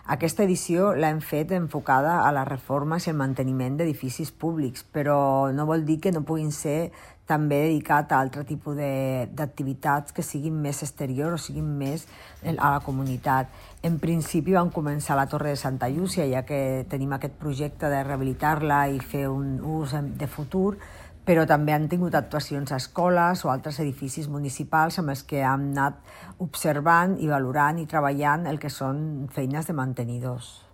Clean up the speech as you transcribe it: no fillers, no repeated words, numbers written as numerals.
Aquesta edició l'hem fet enfocada a les reformes i el manteniment d'edificis públics, però no vol dir que no puguin ser també dedicat a altre tipus d'activitats que siguin més exteriors o siguin més a la comunitat. En principi vam començar a la Torre de Santa Llúcia, ja que tenim aquest projecte de rehabilitar-la i fer un ús de futur, però també han tingut actuacions a escoles o altres edificis municipals amb els que hem anat observant i valorant i treballant el que són feines de mantenidors.